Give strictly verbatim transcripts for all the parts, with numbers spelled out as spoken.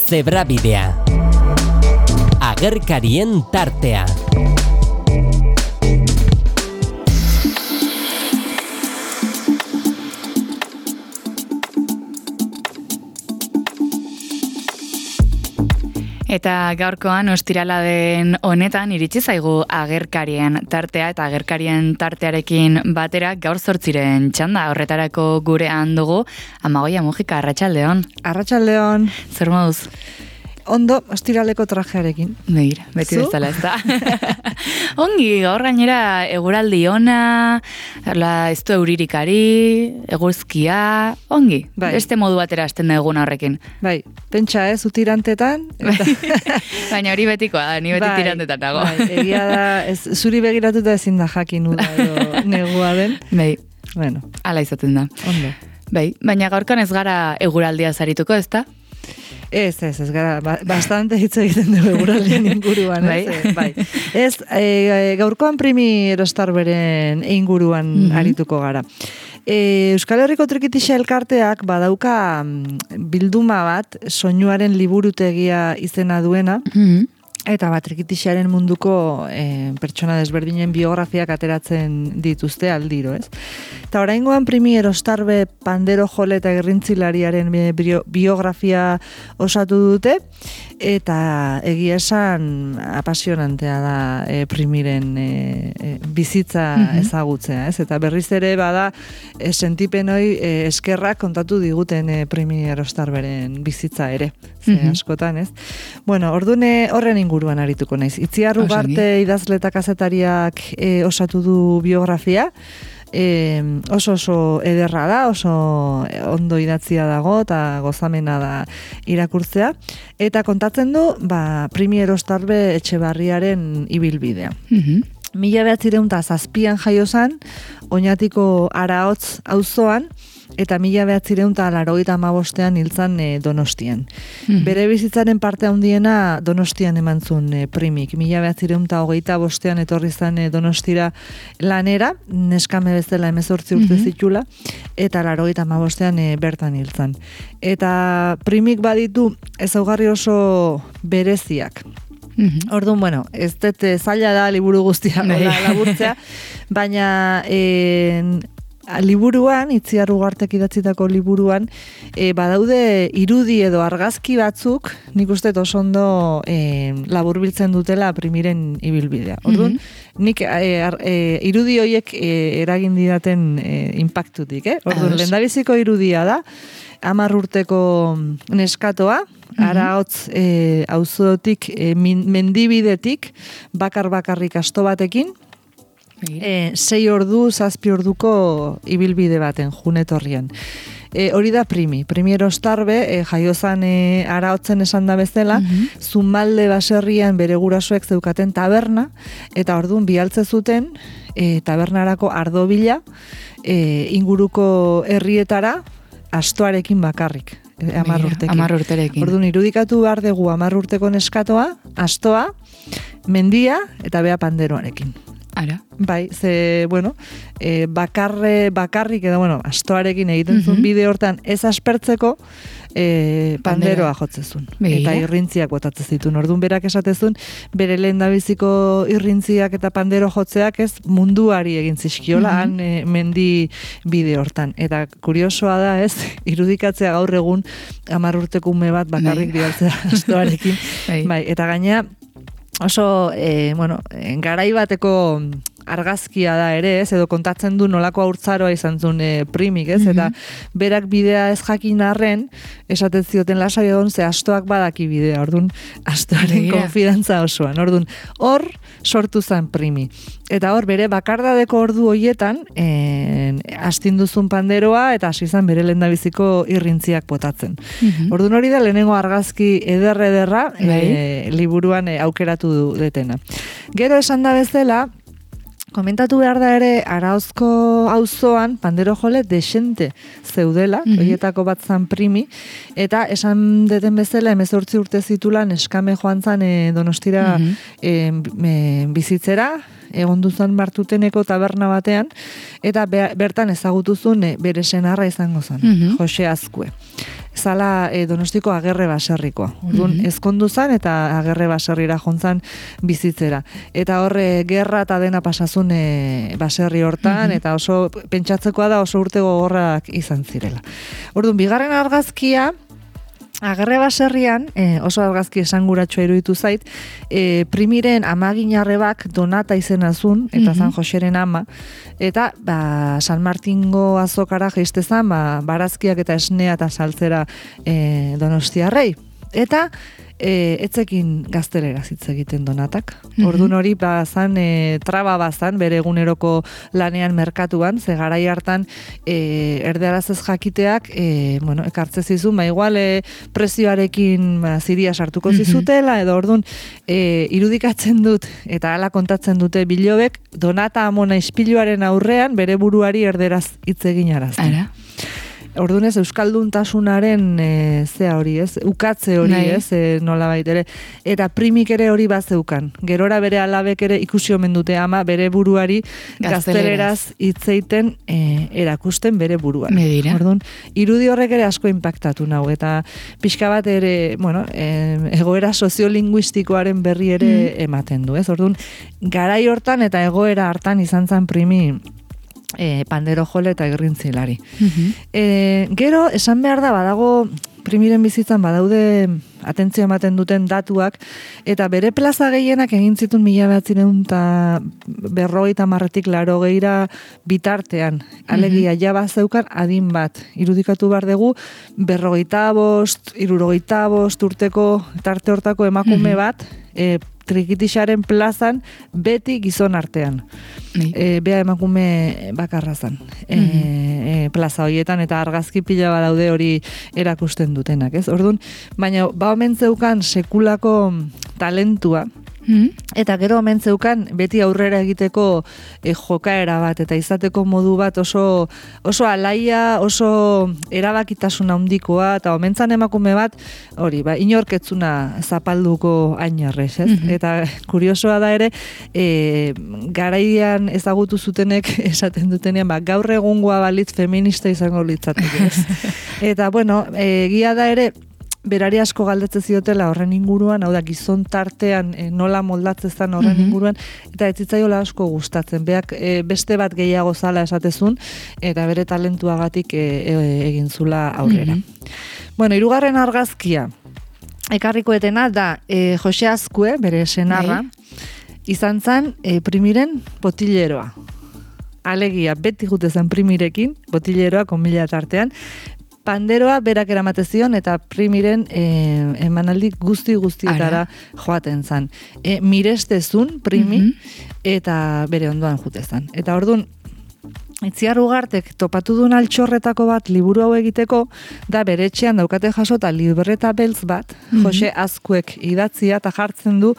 Zebrabidea. Agerkarien tartea. Eta gaurkoan ostirala den honetan iritsi zaigu agerkarien tartea eta agerkarien tartearekin batera gaur zortziren txanda horretarako gurean dugu Amagoia Mujika, arratsaldeon. Arratsaldeon. Zer moduz? Ondo, ostiraleko trajearekin. Begira, beti bezala ez da. Ongi, gaur gainera eguraldi ona, la, ez du euririkari, eguzkia, ongi. Bai. Beste modu batera hasten da eguna horrekin. Bai, pentsa ez, utirantetan. Eta... Baina hori betikoa da, ni beti bai, tirantetan dago. Bai, egia da, ez, zuri begiratuta ezin da jakin uda edo negua den. Bai, bueno. Ala izaten da. Ondo. Bai, baina gaurkan ez gara eguraldia zarituko, ez da? Ez, ez, ez gara, ba, bastante hitz egiten dugu eguraldien inguruan, ez? Bai. Bai. Ez, e, gaurkoan primi erostarberen inguruan mm-hmm. arituko gara. E, Euskal Herriko Trikitixa elkarteak badauka bilduma bat, soinuaren liburutegia izena duena, Mm-hmm. eta bat trikitixaren munduko e, pertsona desberdinen biografiak ateratzen dituzte aldiro, ez? Eta oraingoan primi erostarbe pandero jole eta gerrintzilariaren bio, biografia osatu dute, eta egia esan apasionantea da e, primiren e, e, bizitza mm-hmm. ezagutzea, ez? Eta berriz ere bada e, sentipenoi e, eskerrak kontatu diguten e, primi erostarberen bizitza ere, ze mm-hmm. askotan, ez? Bueno, ordune horren inguruan arituko naiz. Itziar Ugarte idazle eta kazetariak e, osatu du biografia, E, oso oso ederra da, oso ondo idatzia dago eta gozamena da irakurtzea, eta kontatzen du ba, primi erostarbe Etxebarriaren ibilbidea. Mm-hmm. Mila behatzireun eta zazpian jaiozan, Oñatiko Araotz auzoan, eta mila behatzireun eta laurogeita hamabostean hiltzan e, Donostian. Mm-hmm. Bere bizitzaren parte handiena Donostian eman zuen e, primik. Mila behatzireun eta hogeita bostean etorri zan e, Donostira lanera, neskame bezala hemezortzi urte mm-hmm. zitula, eta laurogeita hamabostean e, bertan hiltzan. Eta primik baditu ezaugarri oso bereziak. Mm-hmm. Orduan, bueno, ez dut zaila da liburu guztia laburtzea, baina en, liburuan, Itziar Ugartek idatzitako liburuan, e, badaude irudi edo argazki batzuk, nik uste oso ondo e, laburbiltzen dutela primiren ibilbidea. Orduan, mm-hmm. nik e, ar, e, irudi horiek e, eragin didaten e, impactutik, eh? Orduan, lehendabiziko irudia da, hamar urteko neskatoa, mm-hmm. Araotz e, auzotik, e, mendibidetik, bakar-bakarrik asto batekin, E, sei ordu, zazpi orduko ibilbide baten, junetorrian. E, hori da primi. Primi erostarbe, e, jaiozan e, Araotzen esan da bezala, mm-hmm. Zumalde baserrian bere gurasoek zeukaten taberna, eta orduan bialtze zuten e, tabernarako ardobila e, inguruko herrietara astoarekin bakarrik. Hamar urtekin. Hamar urterekin. Orduan, irudikatu behar dugu hamar urteko neskatoa, astoa, mendia eta bea panderoarekin. Ara. Bai, ze, bueno, e, bakarre, bakarrik edo, bueno, astoarekin egiten zuen mm-hmm. bide hortan ez aspertzeko e, panderoa jotzezun. Eta irrintziak botatzen zituen. Orduan berak esatezun, bere lehen dabiziko irrintziak eta pandero jotzeak ez munduari egin zizkiola mm-hmm. han e, mendi bide hortan. Eta kuriosoa da ez, irudikatzea gaur egun hamar urteko ume bat bakarrik bialtzea astoarekin. Bai, eta gainea, oso, e, bueno, garai bateko argazkia da ere, ez, edo kontatzen du nolako haurtzaroa izan zuen e, primik, ez, mm-hmm. eta berak bidea ez jakin arren, esaten zioten lasai egon, ze astoak badaki bidea, orduan, astoaren yeah. konfidantza osoan, orduan, hor sortu zen primi. Eta hor, bere bakardadeko ordu hoietan, e, astinduzun panderoa, eta hasi zen bere lehendabiziko irrintziak botatzen. Mm-hmm. Orduan hori da, lehenengo argazki eder-ederra, e, liburuan e, aukeratu detena. Gero esan da bezala, komentatu behar da ere, Araozko auzoan pandero jole desente zeudela, mm-hmm. horietako bat zan primi, eta esan deten bezala, hemezortzi urte zitula, neskame joan zan e, Donostira mm-hmm. e, e, bizitzera, egon duzan Bartuteneko taberna batean, eta be, bertan ezagutuzun e, bere senarra izango zen, mm-hmm. Jose Azkue. zala e, Donostiko Agerre baserrikoa. Orduan, mm -hmm. ezkondu zan eta Agerre baserrira jontzan bizitzera. Eta horre gerra eta dena pasazun e, baserri hortan, mm -hmm. eta oso pentsatzekoa da oso urte gogorrak izan zirela. Orduan, bigarren argazkia, Agerre baserrian, eh, oso argazki esanguratsua iruditu zait, eh, primiren amaginarrebak Donata izena zun, eta mm-hmm. San Joseren ama, eta ba, San Martingo azokara jeistezan, ba, barazkiak eta esnea eta saltzera eh, Donostiarrei. Eta e, etzekin gaztelera hitz egiten Donatak. Mm-hmm. Ordun hori bazan e, traba bazan bere eguneroko lanean merkatuan, ze garai hartan e, erdearaz ez jakiteak e, bueno, ekartze zizun, ba igual e, prezioarekin ba, ziria sartuko zizutela, edo ordun e, irudikatzen dut eta hala kontatzen dute bilobek Donata amona ispiluaren aurrean bere buruari erderaz hitz egin arazten. Ara. Orduan ez, euskalduntasunaren e, zea hori, ez? Ukatze hori, Nai. ez? E, nola baitere. Eta primik ere hori bazeukan. Gerora bere alabek ere ikusi omen dute ama bere buruari gazteleraz hitzeiten e, erakusten bere buruan. Medira. Orduan, irudi horrek ere asko impactatu nau. Eta pixka bat ere, bueno, e, egoera soziolinguistikoaren berri ere mm. ematen du, ez? Orduan, garai hortan eta egoera hartan izan zen primi E, pandero jole eta gerrintzilari. Uh-huh. E, gero, esan behar da, badago, primiren bizitzan badaude atentzio ematen duten datuak, eta bere plaza gehienak egin zituen mila behatzireun eta berrogeita marretik laro geira bitartean. Alegia, uh-huh. jaba zeukan adin bat. Irudikatu behar dugu, berrogeita bost, irurogeita bost urteko tarte hortako emakume uh-huh. bat, e, Trikitixaren plazan beti gizon artean. E, bea emakume bakarra zan. E, mm-hmm. e, plaza horietan eta argazki pila badaude hori erakusten dutenak, ez? Orduan, baina ba omen zeukan sekulako talentua, mm-hmm. eta gero omen zeukan beti aurrera egiteko e, jokaera bat eta izateko modu bat oso oso alaia, oso erabakitasun handikoa, eta omentzan emakume bat hori, ba, inorketzuna zapalduko ainarrez, ez? Mm-hmm. Eta kuriosoa da ere, e, garaian ezagutu zutenek esaten dutenean, ba, gaur egungoa balitz feminista izango litzateke, ez? Eta, bueno, egia da ere, berari asko galdetzen ziotela horren inguruan, hau da, gizon tartean e, nola moldatzen horren mm-hmm. inguruan, eta ez zitzaiola asko gustatzen. Beak e, beste bat gehiago zala esatezun, eta bere talentuagatik e, e, egin zula aurrera. Mm-hmm. Bueno, hirugarren argazkia, ekarrikoetena da e, Jose Azkue, bere senarra, izan zan e, primiren botilleroa. Alegia, beti jute zen primirekin, botilleroa, konmila tartean, panderoa berak eramate zion eta primiren e, emanaldi guzti guztietara joaten zan. E, mirestezun primi mm-hmm. eta bere ondoan jute zan. Eta orduan, Itziar Ugartek topatu duen altxorretako bat liburu hau egiteko, da bere etxean daukate jasota libreta beltz bat, mm-hmm. Jose Azkuek idatzia eta jartzen du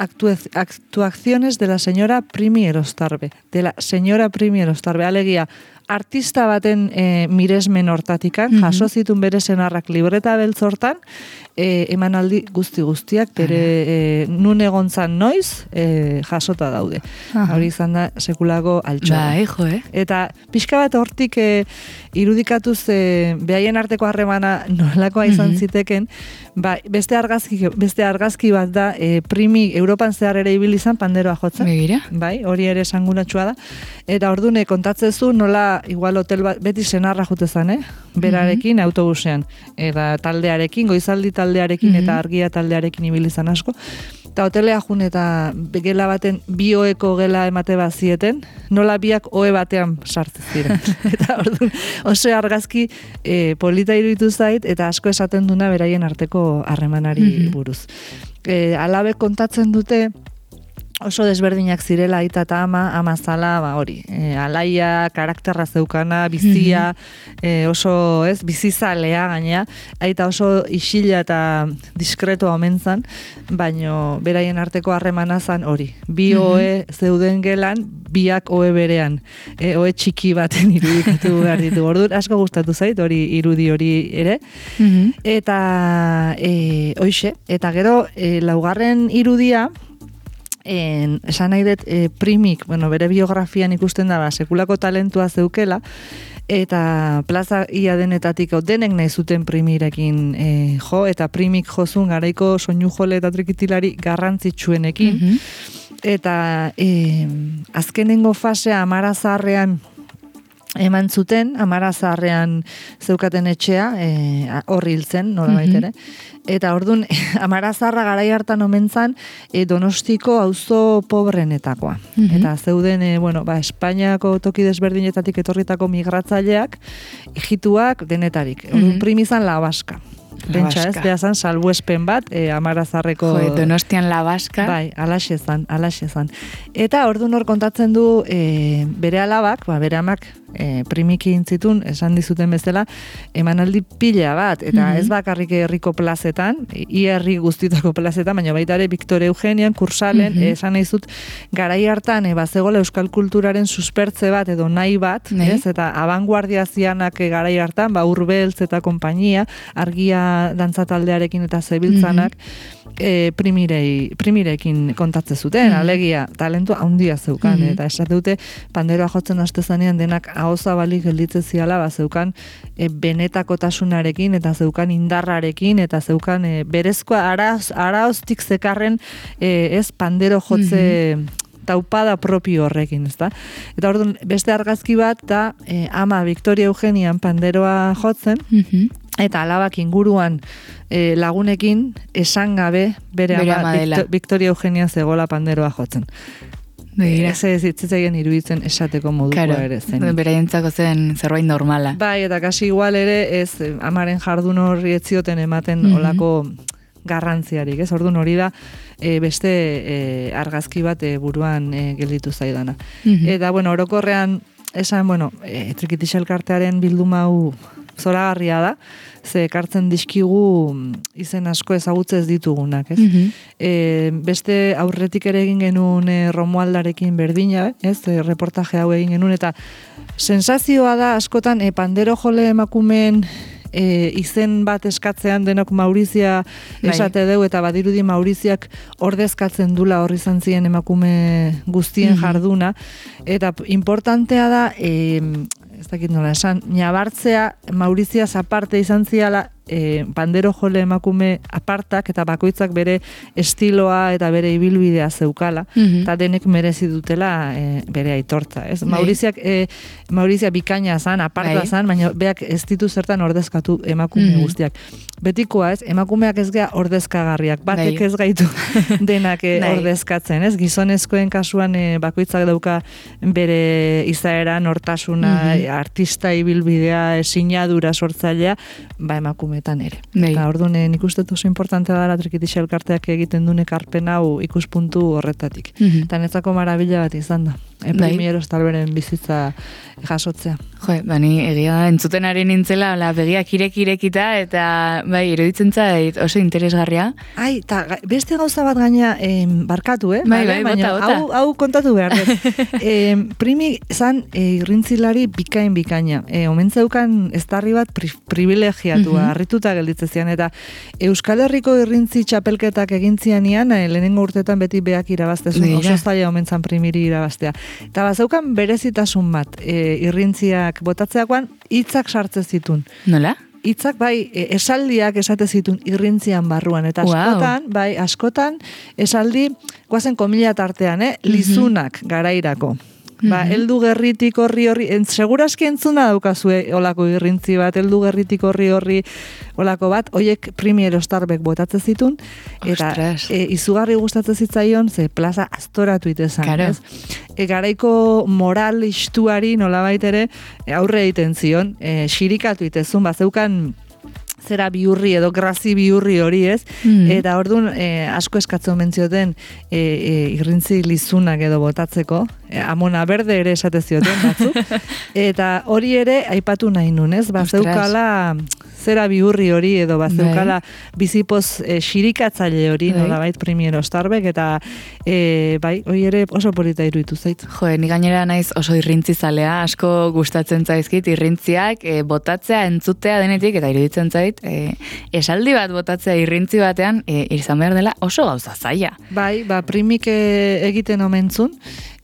actuaciones de la señora Primi Erostarbe. De la señora Primi Erostarbe. Alegia, artista baten e, miresmen hortatikan, mm-hmm. jaso zitun bere senarrak libreta beltz hortan, e, emanaldi guzti guztiak, bere e, nun egontzan noiz, e, jasota daude. Aha. Hori izan da sekulako altxorra. Bai, jo, eh? Eta pixka bat hortik e, irudikatuz e, behaien arteko harremana nolakoa izan mm-hmm. ziteken, ba, beste argazki, beste argazki bat da, e, primi Europan zehar ere ibili izan panderoa jotzen. Begira. Bai, hori ere esangunatsua da. Eta ordune kontatzezu nola igual hotel bat, beti senarra jute zan, eh? Berarekin mm-hmm. autobusean. Eta taldearekin, goizaldi taldearekin mm-hmm. eta argia taldearekin ibili izan asko. Eta hotelea jun eta gela baten bi oeko gela emate bazieten, nola biak oe batean sartzen ziren. Eta orduan oso argazki e, polita iruditu zait, eta asko esaten duna beraien arteko harremanari mm-hmm. buruz. E, alabe kontatzen dute oso desberdinak zirela aita eta ama, ama zala, ba hori, e, alaia, karakterra zeukana, bizia, mm-hmm. e, oso, ez, bizizalea gaina, aita oso isila eta diskretua omentzan, baino beraien arteko harremana zan hori. Bi mm-hmm. oe zeuden gelan, biak oe berean, e, oe txiki baten irudikatu behar ditu. Orduan, asko gustatu zait, hori irudi hori ere. Mm-hmm. Eta, e, hoixe, eta gero, e, laugarren irudia, En, esan nahi dut, e, primik, bueno, bere biografian ikusten da, ba, sekulako talentua zeukela, eta plaza ia denetatik denek nahi zuten primirekin e, jo, eta primik jozun garaiko soinu jole eta trikitilari garrantzitsuenekin, mm-hmm. eta e, azkenengo fasea Amara Zaharrean eman zuten, Amara Zaharrean zeukaten etxea, e, horri hiltzen, nola baitere. Mm-hmm. Eta orduan, Amara Zaharra garai hartan omentzan, e, Donostiko auzo pobrenetakoa. Mm-hmm. Eta zeuden, e, bueno, ba, Espainiako toki desberdinetatik etorritako migratzaileak, hijituak denetarik. Orduan, mm-hmm. primizan La Baska. Bentsa ez, behazan, salbuespen bat, e, Amara Zaharreko... Jo, Donostian La Baska. Bai, alaxe zan, alaxe zan. Eta orduan hor kontatzen du e, bere alabak, ba, bere amak e, primiki intzitun, esan dizuten bezala, emanaldi pila bat, eta mm-hmm. ez bakarrik herriko plazetan, i herri guztitako plazetan, baina baita ere Victor Eugenian, Kursalen, mm-hmm. esan nahi zut, garai hartan, e, bazegola euskal kulturaren suspertze bat, edo nahi bat, nee. ez, eta abanguardia zianak e, garai hartan, ba, Urbeltz eta konpainia, argia dantzataldearekin eta zebiltzanak, mm-hmm. e, primirei, primirekin kontatze zuten, mm-hmm. alegia, talentu handia zeukan, mm-hmm. eta esate dute, panderoa jotzen hastezanean denak ahoza balik gelditze ziala, ba, zeukan e, benetakotasunarekin, eta zeukan indarrarekin, eta zeukan e, berezkoa arauz, arauztik zekarren e, ez pandero jotze mm-hmm. taupada propio horrekin, ezta? Eta orduan, beste argazki bat, da e, ama Victoria Eugenian panderoa jotzen, mm-hmm. eta alabak inguruan e, lagunekin esan gabe bere, bere ama Victor, Victoria Eugenia zegola panderoa jotzen. Ez ez zitzaigen iruditzen esateko modukoa claro, ere zen. Beraientzako zen zerbait normala. Bai, eta kasi igual ere ez amaren jardun horri etzioten ematen mm-hmm. olako garrantziarik, ez? Orduan hori da e, beste e, argazki bat e, buruan e, gelditu zaidana. Mm-hmm. Eta bueno, orokorrean esan, bueno, e, Trikitixa elkartearen bilduma hau zoragarria da, ze ekartzen dizkigu izen asko ezagutze ez ditugunak, ez? Mm-hmm. E, beste aurretik ere egin genuen e, Romualdarekin berdina, ez? E, reportaje hau egin genuen, eta sensazioa da askotan e, pandero jole emakumeen E, izen bat eskatzean denok Maurizia esate deu, eta badirudi Mauriziak ordezkatzen dula horri izan ziren emakume guztien mm-hmm. jarduna, eta importantea da e, ez dakit nola esan, nabartzea Mauriziaz aparte izan ziala e, pandero jole emakume apartak eta bakoitzak bere estiloa eta bere ibilbidea zeukala, mm-hmm. eta denek merezi dutela e, bere aitortza, ez? Bai. Mauriziak, e, Maurizia bikaina zan, aparta zan, baina beak ez ditu zertan ordezkatu emakume mm-hmm. guztiak. Betikoa, ez? Emakumeak ez gea ordezkagarriak, batek ez gaitu denak e, ordezkatzen, ez? Gizonezkoen kasuan e, bakoitzak dauka bere izaera, nortasuna, mm-hmm. artista ibilbidea, sinadura sortzailea, ba emakumeetan ere. Nei. Eta orduan nik uste oso importantea da Trikitixa elkarteak egiten duen ekarpen hau ikuspuntu horretatik. Mm-hmm. Eta netzako marabila bat izan da. E, primieros talberen bizitza jasotzea. Jo, bani egia da, entzuten ari nintzela, la begiak irek-irekita, eta bai, iruditzen zait oso interesgarria. Ai, eta beste gauza bat gaina eh, barkatu, eh? Bai, bai, baina, bota, bota. Hau, hau kontatu behar dut. eh, primi zan eh, irrintzilari bikain bikaina. Eh, omentzeukan estarri bat pri, privilegiatua, mm-hmm. harrituta gelditzezian, eta Euskal Herriko irrintzi txapelketak egintzianian, eh, lehenengo urtetan beti beak irabaztezun, oso zaila omentzan primiri irabaztea. Eta bazeukan berezitasun bat, e, irrintziak botatzeakoan, hitzak sartze zitun. Nola? Hitzak bai, e, esaldiak esate zitun irrintzian barruan. Eta askotan, wow. bai, askotan, esaldi, guazen komila tartean, eh? lizunak mm-hmm. garairako. Ba, mm-hmm. eldu gerritik horri horri, en, seguraski entzuna daukazue olako irrintzi bat, eldu gerritik horri horri olako bat, oiek Primiero Starbek botatze zitun, eta e, izugarri gustatzen zitzaion, ze plaza astoratu itezan, claro. ez? E, garaiko moral istuari nolabait ere aurre egiten zion, e, xirikatu itezun, ba, zeukan zera biurri edo grazi biurri hori, ez? Mm. Eta orduan e, asko eskatzen mentzioten e, e, irrintzi lizunak edo botatzeko, e, amona berde ere esate zioten batzuk, eta hori ere aipatu nahi nun, ez? Bazeukala zera biurri hori edo bazeukala bizipoz e, xirikatzaile hori, bai. Nolabait Primiero Starbek, eta e, bai, hori ere oso polita iruditu zait. Jo, ni gainera naiz oso irrintzi zalea, asko gustatzen zaizkit irrintziak e, botatzea, entzutea denetik, eta iruditzen zait, e, esaldi bat botatzea irrintzi batean, e, izan behar dela oso gauza zaila. Bai, ba, primik egiten omentzun,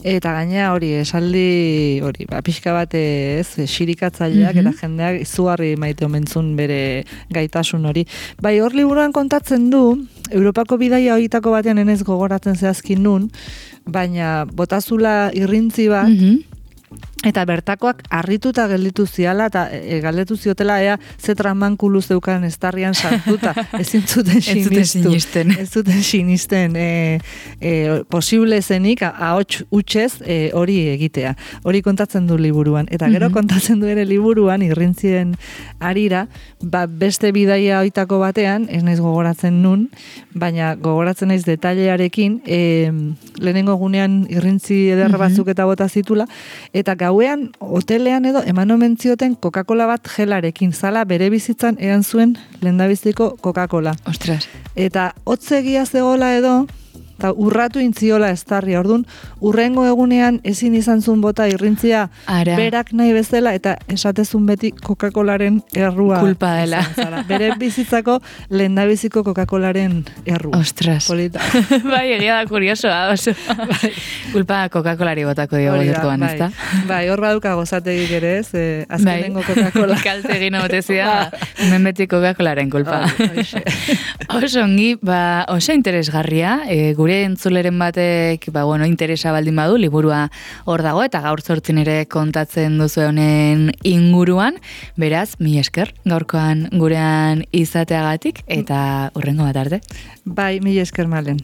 eta gainea hori, esaldi hori, ba, pixka bat ez, xirikatzaileak Mhm. eta jendeak izugarri maite omentzun bere gaitasun hori. Bai, hor liburuan kontatzen du, Europako bidaia horietako batean enez gogoratzen zehazkin nun, baina botazula irrintzi bat, Mhm. eta bertakoak harrituta gelditu ziala, eta e, galdetu ziotela ea ze tramankulu zeukan estarrian sartuta, ezin zuten Ez zuten sinistu. sinisten. Ez zuten sinisten. E, e, posible zenik, ahots utxez e, hori egitea. Hori kontatzen du liburuan. Eta gero Mhm. kontatzen du ere liburuan, irrintzien arira, ba, beste bidaia oitako batean, ez naiz gogoratzen nun, baina gogoratzen naiz detailearekin, e, lehenengo gunean irrintzi eder Mhm. batzuk eta bota zitula, eta gauean, hotelean edo, eman omen zioten Coca-Cola bat gelarekin, zala bere bizitzan ean zuen lehendabiziko Coca-Cola. Ostras. Eta hotzegia zegoela edo, eta urratu intziola estarri, orduan, urrengo egunean ezin izan zuen bota irrintzia Ara. berak nahi bezala, eta esatezun beti Coca-Colaren errua. Kulpa dela. izan zala. Bere bizitzako lehendabiziko Coca-Colaren errua. Ostras. Polita. Bai, egia da kuriosoa, oso. Kulpa Coca-Colari botako dio Hori da, gaurkoan, bai. ezta? Bai, hor baduka gozategik ere, ez, eh, azkenengo Coca-Cola. Kalte egin otezia, hemen beti Coca-Colaren kulpa. Hori, horixe. Oso ongi, ba, oso interesgarria, e, gure entzuleren batek, ba, bueno, interesa baldin badu, liburua hor dago, eta gaur zortzin ere kontatzen duzu honen inguruan, beraz, mi esker, gaurkoan gurean izateagatik, eta hurrengo bat arte. Bai, mila esker malen.